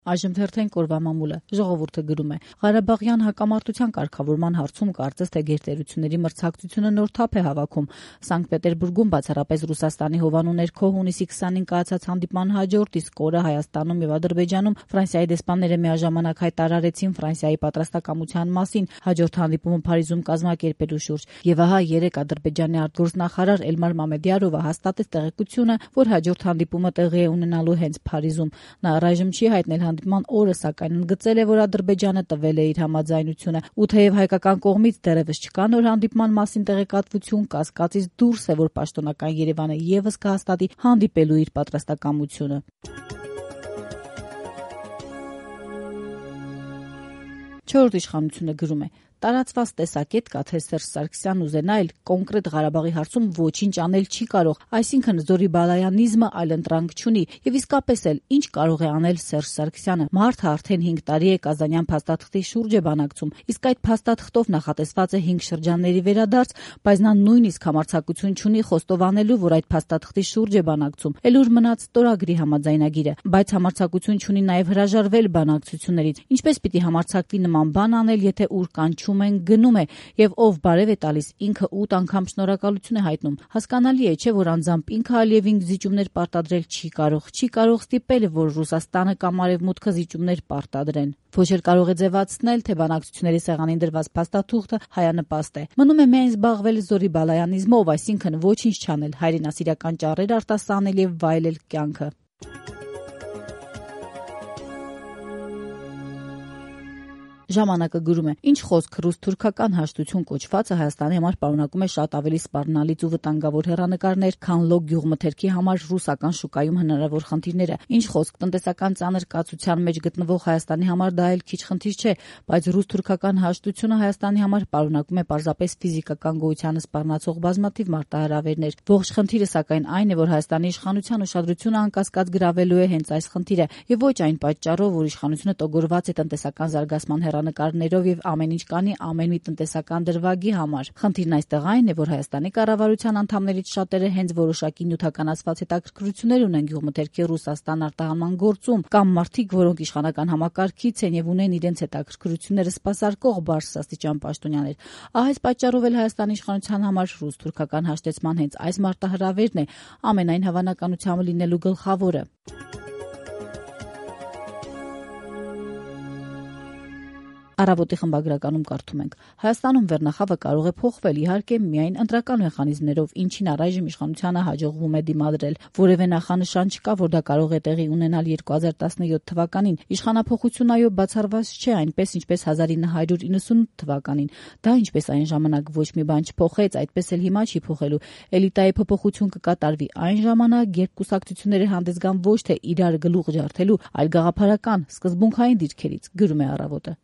Այժմ թերթեն կորվա մամուլը ժողովուրդը գրում է. Ղարաբաղյան հակամարտության կարգավորման հարցում կարծես թե գերտերությունների մրցակցությունը նոր թափ է հավաքում։ Սանկտ Պետերբուրգում բացառապես Ռուսաստանի հովանու ներքո հունիսի 20-ին կայացած հանդիպման հաջորդ իսկ օրը Հայաստանում եւ Ադրբեջանում Ֆրանսիայի դեսպանները միաժամանակ հայտարարեցին Ֆրանսիայի պատրաստակամության մասին հաջորդ հանդիպումը Փարիզում կազմակերպելու շուրջ։ Եվ ահա երեկ Ադրբեջանի արտգործնախարար Էլմար Մամեդյարովը հաստատեց տեղեկությունը, որ հաջորդ հանդիպումը տեղի է ունենալու հենց Փարիզում։ Նա առայժմ չի հայտնել հանդիպման օրը, սակայն ընդգծել է, որ Ադրբեջանը տվել է իր համաձայնությունը։ Ու թեև հայկական կողմից դեռևս չկա նոր հանդիպման մասին տեղեկատվություն, կասկածից դուրս է, որ պաշտոնական Երևանը եւս կհաստատի հանդիպելու իր պատրաստակամությունը։ Չորրորդ իշխանությունը գրում է. տարածված տեսակետ կա, թե Սերժ Սարգսյանն ուզենա էլ կոնկրետ Ղարաբաղի հարցում ոչինչ անել չի կարող, այսինքն զորի բալայանիզմը այլընտրանք չունի, եւ իսկապես էլ ինչ կարող է անել Սերժ Սարգսյանը։ Մարդը արդեն 5 տարի է Կազանյան փաստաթղթի շուրջ է բանակցում, իսկ այդ փաստաթղթով նախատեսված է 5 շրջանների վերադարձ, բայց նա նույնիսկ համարձակություն չունի խոստովանելու, որ այդ փաստաթղթի շուրջ է բանակցում, էլ ուր մնաց ստորագրի համաձայնագիրը, բայց համարձակություն չունի նաեւ հրաժարվել բանակցություններից։ Ինչպես պիտի համարձակվի նման բան անել, եթե ուր կանչում են գնում է, եւ ով բարև է տալիս ինքը 8 անգամ շնորհակալություն է հայտնում։ Հասկանալի է, չէ, որ անձամբ ինքը Ալիևին զիջումներ պարտադրել չի կարող ստիպել, որ Ռուսաստանը կամ Արևմուտքը զիջումներ պարտադրեն։ Ոչ էլ կարող է ձևացնել, թե բանակցությունների սեղանին դրված փաստաթուղթը հայանպաստ է։ Մնում է միայն զբաղվել զորի բալայանիզմով, այսինքն ոչինչ չանել, հայրենասիրական ճառեր արտասանել եւ վայելել կյանքը։ Ժամանակը գրում է. ինչ խոսք ռուս-թուրքական հաշտություն կոչվածը Հայաստանի համար պարունակում է շատ ավելի սպառնալից ու վտանգավոր հեռանկարներ, քան լոկ գյուղմթերքի համար ռուսական շուկայում հնարավոր խնդիրները։ Ինչ խոսք տնտեսական ծանր կացության մեջ գտնվող Հայաստանի համար դա էլ քիչ խնդիր չէ, բայց ռուս-թուրքական հաշտությունը Հայաստանի համար պարունակում է պարզապես ֆիզիկական գոյությանը սպառնացող բազմաթիվ մարտահրավերներ։ Ողջ խնդիրը սակայն այն է, որ Հայաստանի իշխանության ուշադրությունը անկասկած գրավելու է հենց այս խնդիրը, եւ ոչ այն պատճառով, որ իշխանությունը տոգորված է տնտեսական զարգացման նկարներով եւ ամեն ինչ կանի ամեն մի տնտեսական դրվագի համար։ Խնդիրն այստեղ այն է, որ Հայաստանի կառավարության անդամներից շատերը հենց որոշակի նյութականացված հետաքրքրություններ ունեն գյուղմթերքի Ռուսաստան արտահանման գործում, կամ մարդիկ, որոնք իշխանական համակարգից են եւ ունեն իրենց հետաքրքրությունները սպասարկող բարձրաստիճան պաշտոնյաներ։ Ահա այս պատճառով էլ Հայաստանի իշխանության համար ռուս-թուրքական հաշտեցման հենց այս մարտահրավերն է ամենայն հավանականությամբ լինելու գլխավորը։ Առավոտի խմբագրականում կարդում ենք. Հայաստանում վերնախավը կարող է փոխվել, իհարկե միայն ընտրական մեխանիզմներով, ինչին առայժմ իշխանությանը հաջողվում է դիմադրել։ Որևէ նախանշան չկա, որ դա կարող է տեղի ունենալ 2017 թվականին։ Իշխանափոխություն այո բացառված չէ, այնպես ինչպես 1998 թվականին։ Դա ինչպես այն ժամանակ ոչ մի բան չփոխեց, այդպես էլ հիմա չի փոխելու։ Էլիտայի փոփոխություն կկատարվի այն ժամանակ, երբ կուսակցությունները հանդես գան ոչ թե իրար գլուխ ջարդելու, այլ գաղափարական, սկզբունքային դիրքերից, գրում է Առավոտը։